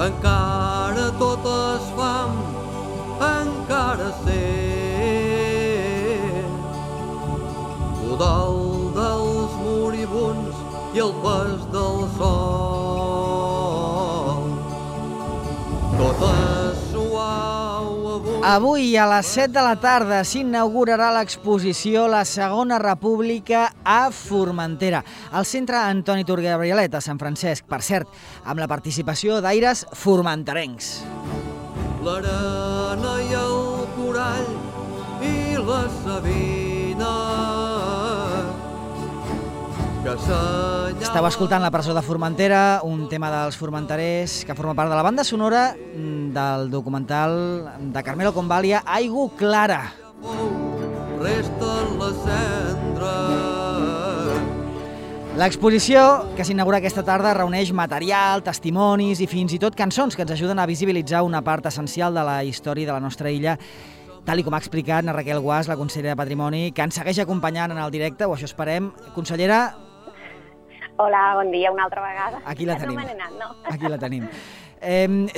encara tot es fam, encara sent l'udol dels moribuns i el pes del sol. Tot és suau avui. Avui a les 7 de la tarda s'inaugurarà l'exposició La Segona República a Formentera, al centre Antoni Turc i Gabrielet a Sant Francesc, per cert, amb la participació d'aires formenterencs. L'arena i el corall i la sabina que assenyalen... Esteu escoltant La presó de Formentera, un tema dels formenterers que forma part de la banda sonora del documental de Carmelo Convalia, Aigua Clara. Resten les cendres. L'exposició, que s'inaugura aquesta tarda, reuneix material, testimonis i fins i tot cançons que ens ajuden a visibilitzar una part essencial de la història de la nostra illa, tal com ha explicat na Raquel Guas, la consellera de Patrimoni, que ens segueix acompanyant en el directe, o això esperem. Consellera... Hola, bon dia, una altra vegada. Aquí la tenim. No me n'he anat, no? Aquí la tenim.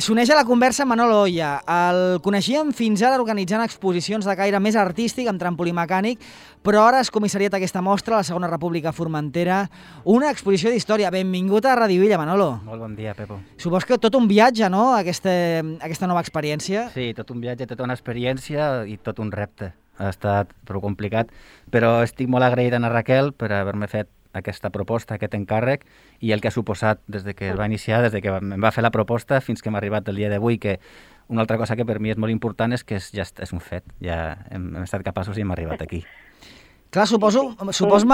S'uneix a la conversa Manol Oya. El coneixíem fins ara organitzant exposicions de caire més artístic amb trampolí mecànic, però ara és comissariat aquesta mostra, la Segona República a Formentera, una exposició d'història. Benvingut a Radio Illa, Manolo. Molt bon dia, Pepo. Supos que tot un viatge, no?, aquesta nova experiència. Sí, tot un viatge, tota una experiència i tot un repte. Ha estat prou complicat, però estic molt agraït a Raquel per haver-me fet aquesta proposta, aquest encàrrec, i el que ha suposat des de que es va iniciar, des de que em va fer la proposta fins que hem arribat el dia d'avui, que una altra cosa que per mi és molt important és que ja és un fet, ja hem estat capaços i hem arribat aquí. Clar, suposo,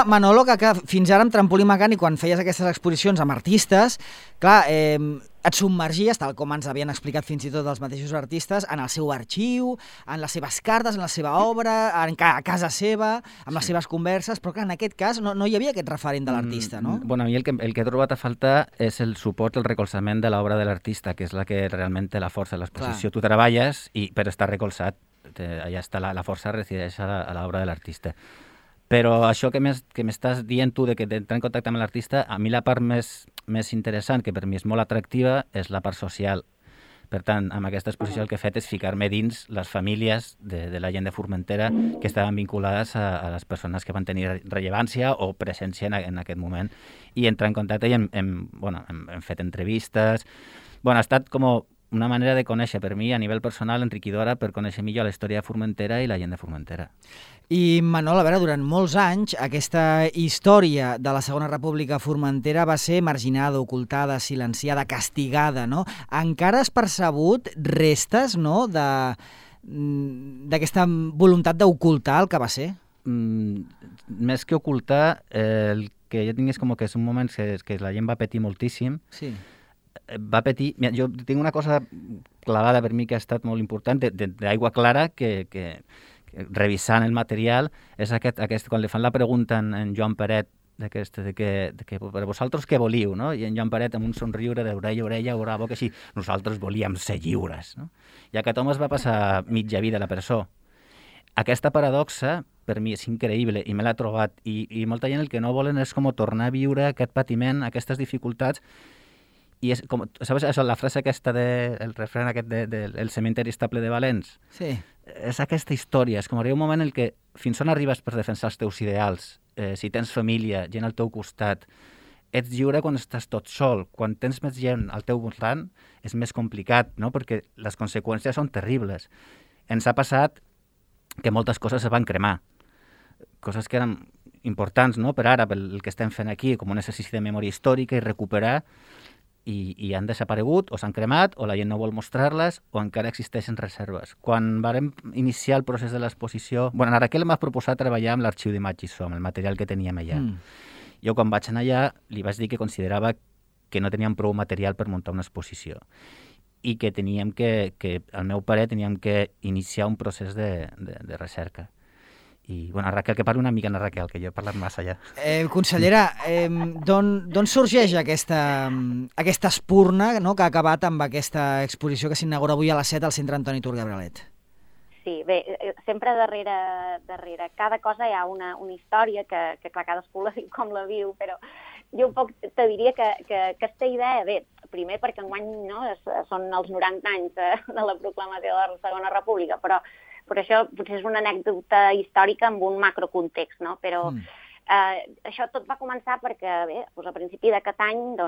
Manolo, que fins ara amb trampolí mecànic, quan feies aquestes exposicions amb artistes, clar, et submergies, tal com ens havien explicat fins i tot els mateixos artistes, en el seu arxiu, en les seves cartes, en la seva obra, a casa seva, amb les seves converses, però clar, en aquest cas no hi havia aquest referent de l'artista, no? Bueno, a mi el que he trobat a faltar és el suport, el recolzament de l'obra de l'artista, que és la que realment té la força de l'exposició. Tu treballes, però està recolzat, allà està la força resideix a l'obra de l'artista. Però això que m'estàs dient tu d'entrar en contacte amb l'artista, a mi la part més interessant, que per mi és molt atractiva, és la part social. Per tant, amb aquesta exposició el que he fet és ficar-me dins les famílies de la gent de Formentera que estaven vinculades a les persones que van tenir rellevància o presència en aquest moment, i entrar en contacte i hem fet entrevistes. Ha estat com una manera de conèixer per mi a nivell personal enriquidora per conèixer millor la història de Formentera i la gent de Formentera. I, Manol, a veure, durant molts anys aquesta història de la Segona República a Formentera va ser marginada, ocultada, silenciada, castigada, no? Encara has percebut restes, no?, d'aquesta voluntat d'ocultar el que va ser? Més que ocultar, el que jo tinc és com que és un moment que la gent va patir moltíssim. Sí. Va patir... Jo tinc una cosa clavada per mi que ha estat molt important, d'Aigua Clara, que revisant el material, és aquest quan li fan la pregunta en Joan Peret, de que per vosaltres què volíeu, no? I en Joan Peret, amb un somriure d'orella a orella, bravo, que sí, nosaltres volíem ser lliures, no? I aquest home es va passar mitja vida a la presó. Aquesta paradoxa, per mi, és increïble, i me l'ha trobat, i molta gent el que no volen és com tornar a viure aquest patiment, aquestes dificultats. I és com, saps això, la frase aquesta el refrany aquest del cementeri estable de Valens? Sí. És aquesta història, és com arriba un moment en què fins on arribes per defensar els teus ideals, si tens família, gent al teu costat, ets lliure quan estàs tot sol, quan tens més gent al teu voltant és més complicat, no? Perquè les conseqüències són terribles. Ens ha passat que moltes coses es van cremar, coses que eren importants, no? Per ara, pel que estem fent aquí, com un exercici de memòria històrica i recuperar, i han desaparegut, o s'han cremat, o la gent no vol mostrar-les, o encara existeixen reserves. Quan vàrem iniciar el procés de l'exposició... la Raquel m'ha proposat treballar amb l'arxiu d'imatges, amb el material que teníem allà. Jo, quan vaig anar allà, li vaig dir que considerava que no teníem prou material per muntar una exposició i que teníem que al meu parer, teníem que iniciar un procés de recerca. I, Raquel, que parli una mica, Raquel, que jo he parlat massa ja. Consellera, d'on sorgeix aquesta espurna, no?, que ha acabat amb aquesta exposició que s'inaugura avui a les 7 al centre Antoni Turc i Gabrielet? Sí, bé, sempre darrere cada cosa hi ha una història que clar, cadascú la viu com la viu, però jo un poc te diria que aquesta idea, bé, primer perquè enguany són els 90 anys de la proclamació de la Segona República, però això potser és una anècdota històrica amb un macrocontext, no? Però això tot va començar perquè, bé, a principi d'aquest any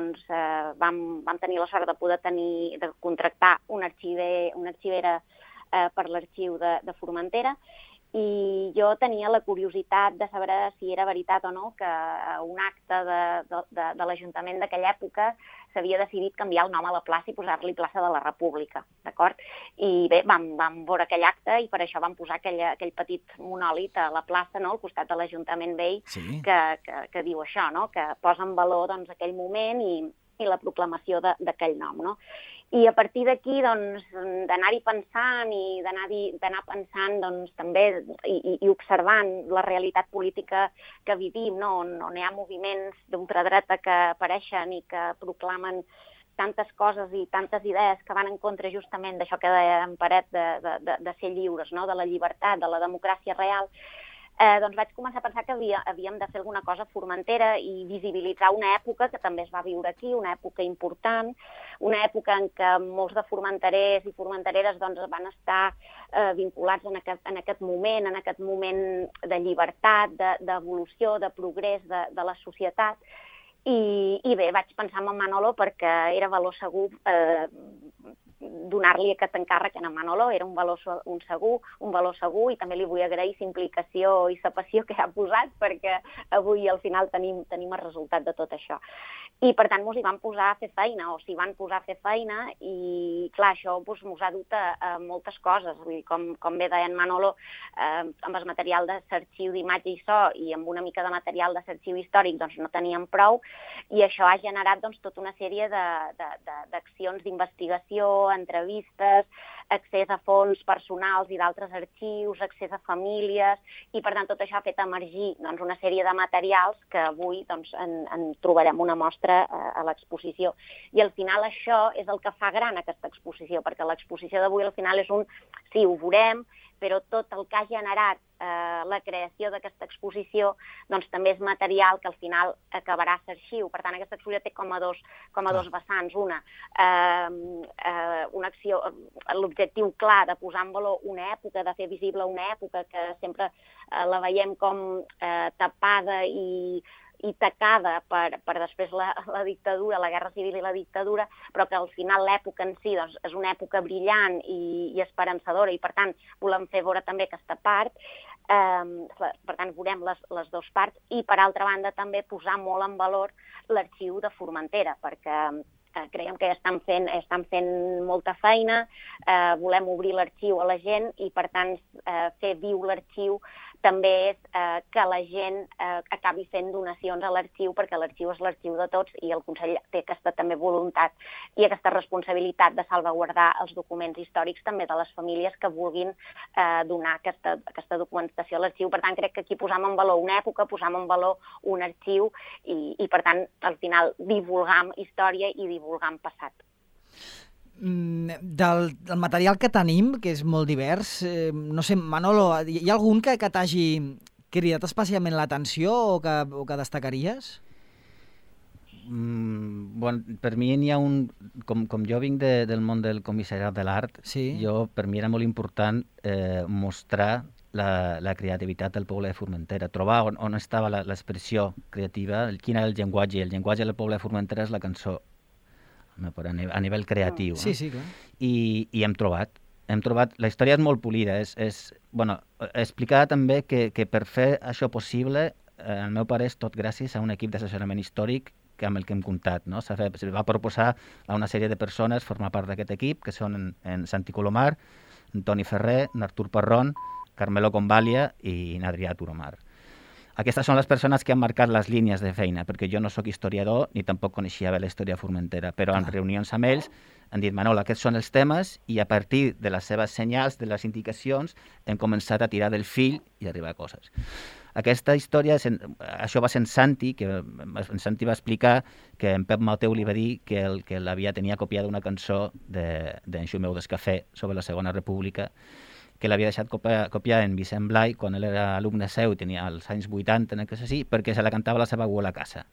vam tenir la sort de poder de contractar una arxivera per l'arxiu de Formentera, i jo tenia la curiositat de saber si era veritat o no que un acte de l'Ajuntament d'aquella època s'havia decidit canviar el nom a la plaça i posar-li plaça de la República, d'acord? I bé, vam veure aquell acte i per això vam posar aquell petit monòlit a la plaça, no?, al costat de l'Ajuntament vell, que diu això, no?, que posa en valor aquell moment i la proclamació d'aquell nom, no? I a partir d'aquí, d'anar-hi pensant i d'anar pensant també i observant la realitat política que vivim, on hi ha moviments d'ultradreta que apareixen i que proclamen tantes coses i tantes idees que van en contra justament d'això que deia en Paret de ser lliures, no?, de la llibertat, de la democràcia real, doncs vaig començar a pensar que havíem de fer alguna cosa a Formentera i visibilitzar una època que també es va viure aquí, una època important, una època en què molts de formenterers i formentereres van estar vinculats en aquest moment de llibertat, d'evolució, de progrés de la societat. I bé, vaig pensar en Manolo perquè era valor segur donar-li aquest encàrrec a en Manolo, era un valor segur, i també li vull agrair la implicació i la passió que ha posat, perquè avui al final tenim el resultat de tot això. I per tant s'hi van posar a fer feina, i clar, això mos ha dut a moltes coses. Vull dir, com bé deia en Manolo, amb el material de l'arxiu d'imatge i so i amb una mica de material de l'arxiu històric no teníem prou, i això ha generat tota una sèrie d'accions d'investigació, entrevistes, accés a fons personals i d'altres arxius, accés a famílies, i per tant tot això ha fet emergir una sèrie de materials que avui en trobarem una mostra a l'exposició. I al final això és el que fa gran aquesta exposició, perquè l'exposició d'avui al final és sí, ho veurem, però tot el que ha generat la creació d'aquesta exposició també és material que al final acabarà a l'arxiu. Per tant, aquesta exposició té com a dos vessants. Una acció, l'objectiu clar de posar en valor una època, de fer visible una època que sempre la veiem com tapada i tacada per després la dictadura, la guerra civil i la dictadura, però que al final l'època en si és una època brillant i esperançadora, i per tant volem fer veure també aquesta part. Per tant, veurem les dues parts, i per altra banda també posar molt en valor l'arxiu de Formentera, perquè creiem que estan fent molta feina, volem obrir l'arxiu a la gent, i per tant fer viu l'arxiu també és que la gent acabi fent donacions a l'arxiu, perquè l'arxiu és l'arxiu de tots, i el Consell té aquesta també voluntat i aquesta responsabilitat de salvaguardar els documents històrics també de les famílies que vulguin donar aquesta documentació a l'arxiu. Per tant, crec que aquí posam en valor una època, posam en valor un arxiu, i per tant, al final, divulgam història i divulgam passat. Del material que tenim, que és molt divers, no sé, Manolo, hi ha algun que t'hagi cridat especialment l'atenció o que destacaries? Per mi n'hi ha un... Com jo vinc del món del comissariat de l'art, per mi era molt important mostrar la creativitat del poble de Formentera, trobar on estava l'expressió creativa, quin era el llenguatge. El llenguatge del poble de Formentera és la cançó, a nivell creatiu. Sí, clar. I hem trobat. La història és molt polida. Explicar també que per fer això possible, el meu pare és tot gràcies a un equip d'assessorament històric amb el que hem comptat. Se va proposar a una sèrie de persones formar part d'aquest equip, que són en Santi Colomar, en Toni Ferrer, en Artur Parrón, Carmelo Convalia i en Adrià Turomar. Aquestes són les persones que han marcat les línies de feina, perquè jo no sóc historiador ni tampoc coneixia bé la història de Formentera, però en reunions amb ells han dit, Manol, aquests són els temes, i a partir de les seves senyals, de les indicacions, hem començat a tirar del fil i arribar a coses. Aquesta història, això va ser en Santi, que en Santi va explicar que en Pep Mateu li va dir que tenia copiada una cançó d'en Xumeu d'Escafé sobre la Segona República, que l'havia deixat copiar en Vicent Blai quan ell era alumne seu, tenia els anys 80, perquè se la cantava la seva abuela a casa.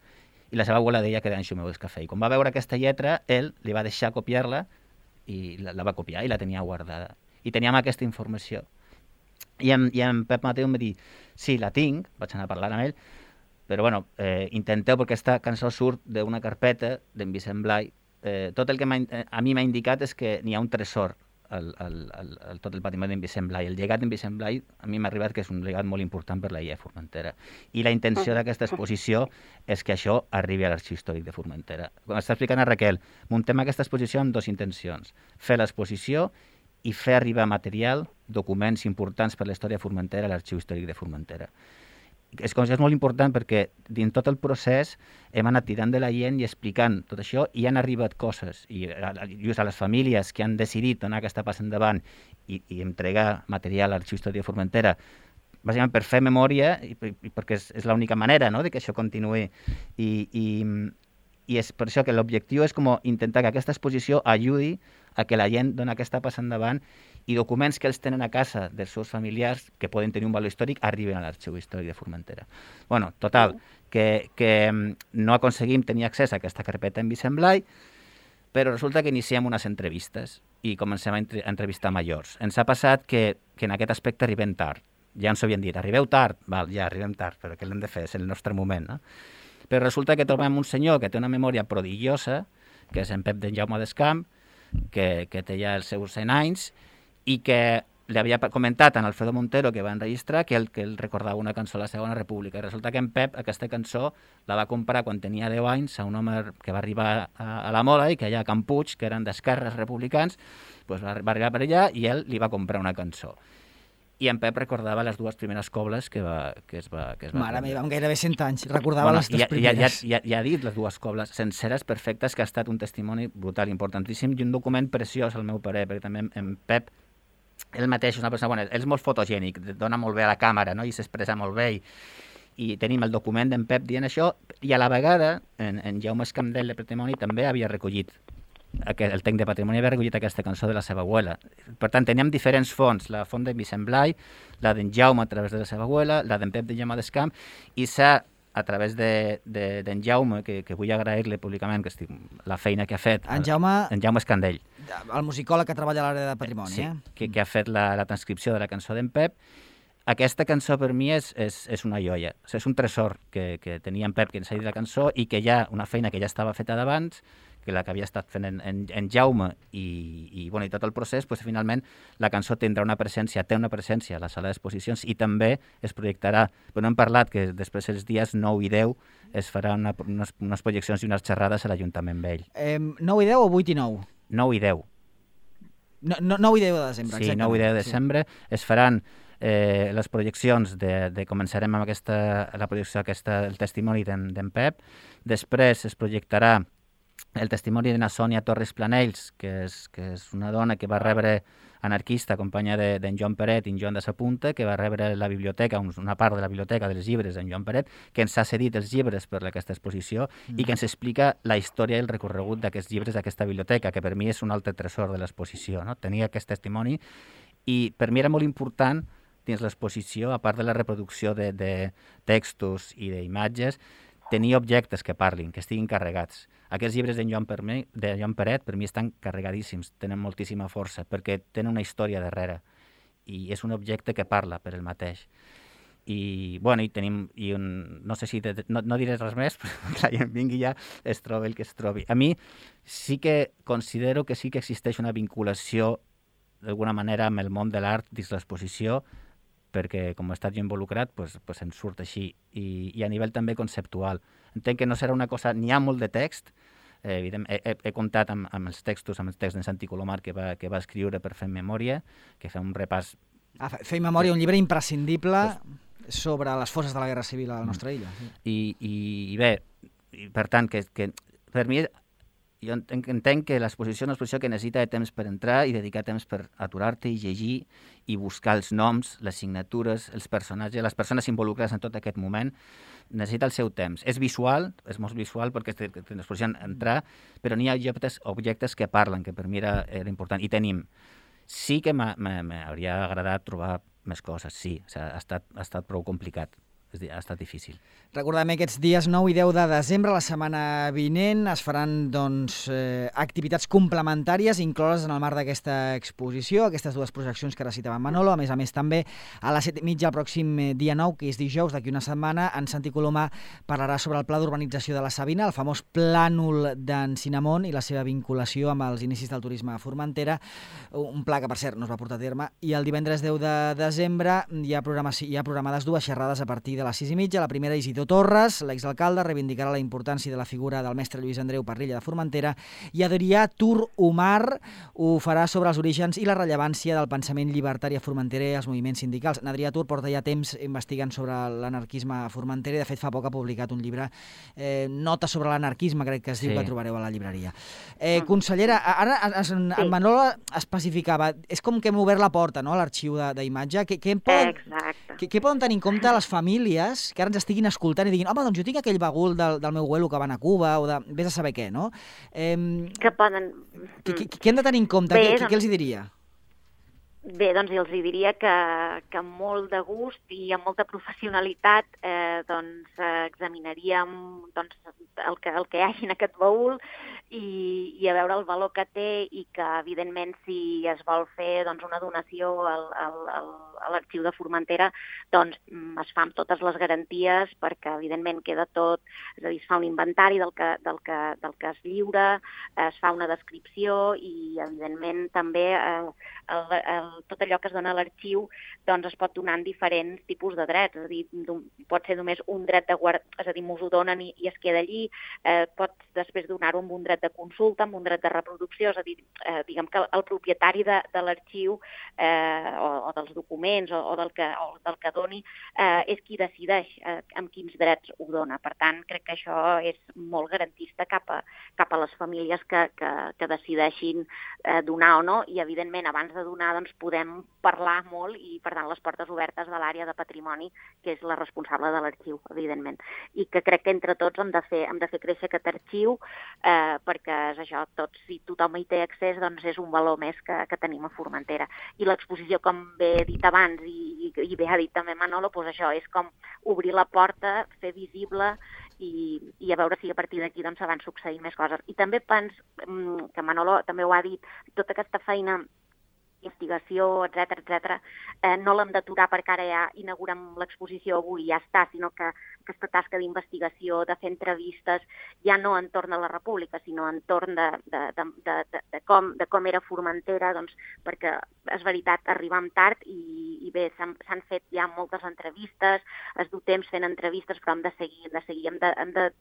i la seva abuela deia que eren xumeus cafè. I quan va veure aquesta lletra, ell li va deixar copiar-la i la va copiar i la tenia guardada. I teníem aquesta informació. I en Pep Mateu em va dir, sí, la tinc, vaig anar a parlar amb ell, però bueno, intenteu, perquè aquesta cançó surt d'una carpeta d'en Vicent Blai. Tot el que a mi m'ha indicat és que n'hi ha un tresor tot el patrimoni d'en Vicent Blai. El llegat d'en Vicent Blai a mi m'ha arribat que és un llegat molt important per la Illa de Formentera. I la intenció d'aquesta exposició és que això arribi a l'Arxiu Històric de Formentera. Com està explicant a Raquel, muntem aquesta exposició amb dues intencions. Fer l'exposició i fer arribar material, documents importants per la història de Formentera a l'Arxiu Històric de Formentera. És molt important perquè dins tot el procés hem anat tirant de la gent i explicant tot això i han arribat coses. I just a les famílies que han decidit donar aquesta passa endavant i entregar material a l'Arxiu Històric de Formentera, bàsicament per fer memòria i perquè és l'única manera, no?, de que això continuï. I és per això que l'objectiu és com intentar que aquesta exposició ajudi a que la gent doni aquesta passa endavant i documents que ells tenen a casa dels seus familiars, que poden tenir un valor històric, arriben a l'Arxiu Històric de Formentera. Bueno, total, que no aconseguim tenir accés a aquesta carpeta en Vicent Blai, però resulta que iniciem unes entrevistes i comencem a entrevistar majors. Ens ha passat que en aquest aspecte arribem tard. Ja ens ho havien dit, arribeu tard? Val, ja arribem tard, però què l'hem de fer? És el nostre moment, no? Però resulta que trobem un senyor que té una memòria prodigiosa, que és en Pep d'en Jaume d'Escamp, que té ja els seus 100 anys, i que li havia comentat a Alfredo Montero, que va enregistrar, que ell recordava una cançó a la Segona República. I resulta que en Pep aquesta cançó la va comprar quan tenia 10 anys a un home que va arribar a la Mola i que allà a Can Puig, que eren d'esquerres republicans, doncs va arribar per allà i ell li va comprar una cançó. I en Pep recordava les dues primeres cobles que es va Mare meva, amb gairebé 100 anys, recordava les dues primeres. Ja ha dit les dues cobles senceres, perfectes, que ha estat un testimoni brutal, importantíssim, i un document preciós, al meu parer, perquè també en Pep, ell mateix és una persona bona, ell és molt fotogènic, dona molt bé a la càmera, no?, i s'expressa molt bé, i tenim el document d'en Pep dient això, i a la vegada, en Jaume Escamdel de Patrimoni també havia recollit el tec de Patrimoni havia recollit aquesta cançó de la seva abuela. Per tant, teníem diferents fonts, la font de Vicent Blai, la d'en Jaume a través de la seva abuela, la d'en Pep de Jaume d'Escamp, i s'ha, a través d'en Jaume, que vull agrair-li públicament la feina que ha fet, en Jaume Escandell. El musicòleg que treballa a l'àrea de Patrimoni. Sí, que ha fet la transcripció de la cançó d'en Pep. Aquesta cançó per mi és una joia, és un tresor que tenia en Pep, que ens ha dit la cançó, i que hi ha una feina que ja estava feta d'abans, que la que havia estat fent en Jaume i tot el procés, doncs, finalment la cançó té una presència a la sala d'exposicions i també es projectarà, però no hem parlat que després els dies 9 i 10 es faran unes projeccions i unes xerrades a l'Ajuntament Vell. 9 i 10 o 8 i 9? 9 i 10. 9 i 10 de desembre, exactament. Sí, 9 i 10 de desembre es faran les projeccions començarem amb la projecció el testimoni d'en Pep, després es projectarà el testimoni d'una Sònia Torres Planells, que és una dona que va rebre anarquista, companya d'en Joan Peret i en Joan de Sapunta, que va rebre la biblioteca, una part de la biblioteca dels llibres d'en Joan Peret, que ens ha cedit els llibres per aquesta exposició i que ens explica la història i el recorregut d'aquests llibres d'aquesta biblioteca, que per mi és un altre tresor de l'exposició, no? Tenia aquest testimoni i per mi era molt important dins l'exposició, a part de la reproducció de textos i d'imatges, tenir objectes que parlin, que estiguin carregats. Aquests llibres d'en Joan Peret per mi estan carregadíssims, tenen moltíssima força, perquè tenen una història darrere i és un objecte que parla per ell mateix. I tenim, no sé si, no diré res més, però que la gent vingui ja, es trobi el que es trobi. A mi sí que considero que sí que existeix una vinculació d'alguna manera amb el món de l'art dins l'exposició, perquè com he estat jo involucrat, doncs em surt així. I a nivell també conceptual. Entenc que no serà una cosa... N'hi ha molt de text, he comptat amb els textos, amb els texts d'en Santi Colomar que va escriure per fer memòria, que fa un repàs... Fer memòria, un llibre imprescindible sobre les forces de la Guerra Civil a la nostra illa. I bé, per tant, que per mi... Jo entenc que l'exposició és una exposició que necessita de temps per entrar i dedicar temps per aturar-te i llegir i buscar els noms, les signatures, els personatges, les persones involucrades en tot aquest moment. Necessita el seu temps. És visual, és molt visual perquè ens podien entrar, però n'hi ha objectes que parlen, que per mi era important. I tenim. Sí que m'hauria agradat trobar més coses, sí. Ha estat prou complicat. ha estat difícil. Recordem aquests dies 9 i 10 de desembre, la setmana vinent, es faran activitats complementàries incloses en el marc d'aquesta exposició, aquestes dues projeccions que ara citava Manolo. A més, també a les 7:30 el pròxim dia 9, que és dijous, d'aquí una setmana, en Santi Colomà parlarà sobre el pla d'urbanització de la Sabina, el famós plànol d'en Cinamont i la seva vinculació amb els inicis del turisme a Formentera, un pla que, per cert, no es va portar a terme. I el divendres 10 de desembre hi ha programades dues xerrades a partir de les 6:30. La primera, Isidor Torres, l'exalcalde, reivindicarà la importància de la figura del mestre Lluís Andreu Parrilla de Formentera, i Adrià Tur Umar ho farà sobre els orígens i la rellevància del pensament llibertari a Formentera i els moviments sindicals. Adrià Tur porta ja temps investigant sobre l'anarquisme a Formentera i, de fet, fa poc ha publicat un llibre, Notes sobre l'anarquisme, crec que es diu, que trobareu a la llibreria. Consellera, ara en Manolo especificava, és com que hem obert la porta, no?, a l'arxiu d'imatge. Què poden tenir en compte les famílies que ara ens estiguin escoltant i diguin, home, doncs jo tinc aquell bagul del meu abuelo que va anar a Cuba, o de vés a saber què, no? Que poden... Què hem de tenir en compte? Què els hi diria? Bé, doncs els diria que amb molt de gust i amb molta professionalitat examinaríem el que hi hagi en aquest baúl i a veure el valor que té, i que, evidentment, si es vol fer una donació a l'arxiu de Formentera, doncs es fa amb totes les garanties, perquè, evidentment, queda tot, és a dir, es fa un inventari del que es lliura, es fa una descripció i, evidentment, també tot allò que es dona a l'arxiu es pot donar en diferents tipus de drets, és a dir, pot ser només un dret de guardar, és a dir, m'ho donen i es queda allí, pots després donar-ho amb un dret de consulta, amb un dret de reproducció, és a dir, diguem que el propietari de l'arxiu o dels documents o del que doni és qui decideix amb quins drets ho dona. Per tant, crec que això és molt garantista cap a les famílies que decideixin donar o no, i, evidentment, abans de donar podem parlar molt, i, per tant, les portes obertes de l'àrea de patrimoni, que és la responsable de l'arxiu, evidentment. I que crec que entre tots hem de fer créixer aquest arxiu, perquè és això, si tothom hi té accés, doncs és un valor més que tenim a Formentera. I l'exposició, com bé he dit abans, i bé ha dit també Manolo, doncs això és com obrir la porta, fer visible i a veure si a partir d'aquí se van succeint més coses. I també penso, que Manolo també ho ha dit, tota aquesta feina, investigació, etc., no l'hem d'aturar perquè ara ja inaugurem l'exposició avui i ja està, sinó que aquesta tasca d'investigació, de fer entrevistes, ja no entorn a la República, sinó entorn de com era Formentera, perquè és veritat, arribem tard i bé, s'han fet ja moltes entrevistes, es du temps fent entrevistes, però hem de seguir, hem de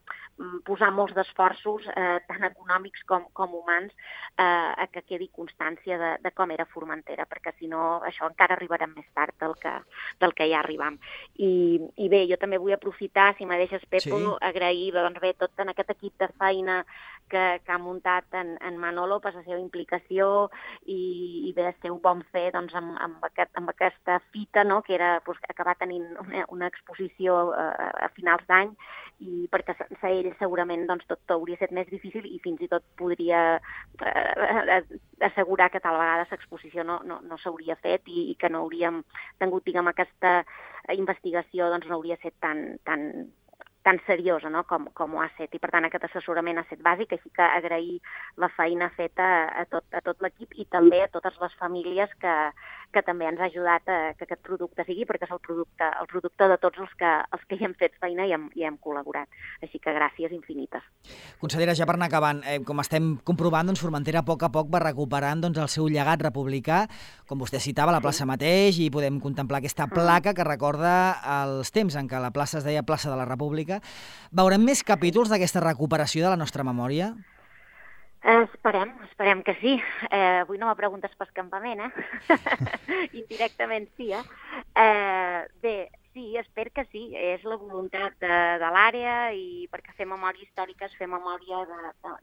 posar molts d'esforços, tant econòmics com humans, a que quedi constància de com era Formentera, perquè si no, això encara arribarem més tard del que ja arribem. I bé, jo també vull aprofitar, si me deixes, Pepo, agrair tot en aquest equip de feina que ha muntat en Manolo per la seva implicació i bé, el seu bon fer amb aquesta fita, que era acabar tenint una exposició a finals d'any, i perquè sense ell segurament tot hauria estat més difícil i fins i tot podria assegurar que tal vegada l'exposició no s'hauria fet i que no hauríem tingut, diguem, aquesta investigació, no hauria estat tan seriosa com ho ha estat. I, per tant, aquest assessorament ha estat bàsic, així que agrair la feina feta a tot l'equip i també a totes les famílies que també ens ha ajudat que aquest producte sigui, perquè és el producte de tots els que hi hem fet feina i hem col·laborat. Així que gràcies infinites. Consellera, ja per anar acabant, com estem comprovant, Formentera a poc va recuperant el seu llegat republicà, com vostè citava, a la plaça mateix, i podem contemplar aquesta placa que recorda els temps en què la plaça es deia plaça de la República. Veurem més capítols d'aquesta recuperació de la nostra memòria? Esperem que sí. Avui no me preguntes per escampament, Indirectament sí, Bé, sí, espero que sí. És la voluntat de l'àrea, i perquè fer memòria històrica és fer memòria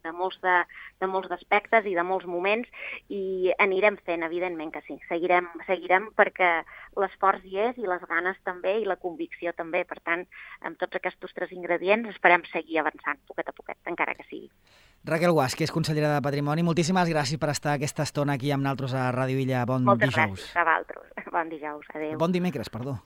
de molts aspectes i de molts moments, i anirem fent, evidentment que sí. Seguirem perquè l'esforç hi és, i les ganes també, i la convicció també. Per tant, amb tots aquests 3 ingredients esperem seguir avançant, poquet a poquet, encara que sigui. Raquel Guasch, que és consellera de Patrimoni, moltíssimes gràcies per estar aquesta estona aquí amb nosaltres a Ràdio Illa. Bon dijous. Moltes gràcies a vosaltres. Bon dijous. Adéu. Bon dimecres, perdó.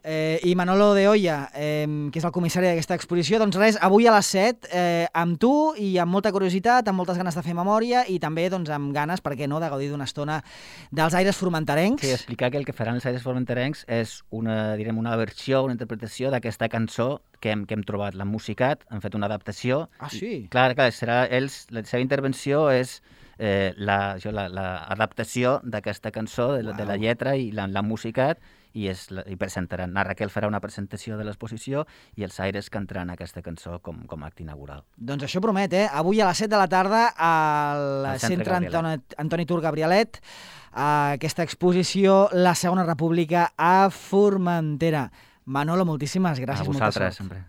I Manolo de Oya, que és el comissari d'aquesta exposició. Doncs res, avui a les 7, amb tu i amb molta curiositat, amb moltes ganes de fer memòria i també doncs, amb ganes, per què no, de gaudir d'una estona dels aires formenterencs. Sí, explicar que el que faran els aires formenterencs és una versió, una interpretació d'aquesta cançó que hem trobat. L'han musicat, han fet una adaptació. Ah, sí? Clar, serà ells, la seva intervenció és l'adaptació d'aquesta cançó, de la lletra, i l'han musicat, i presentaran. La Raquel farà una presentació de l'exposició i els Aires cantaran aquesta cançó com a acte inaugural. Doncs això promet, Avui a les 7 de la tarda al Centre Antoni Tur Gabrielet, aquesta exposició La Segona República a Formentera. Manolo, moltíssimes gràcies. A vosaltres, sempre.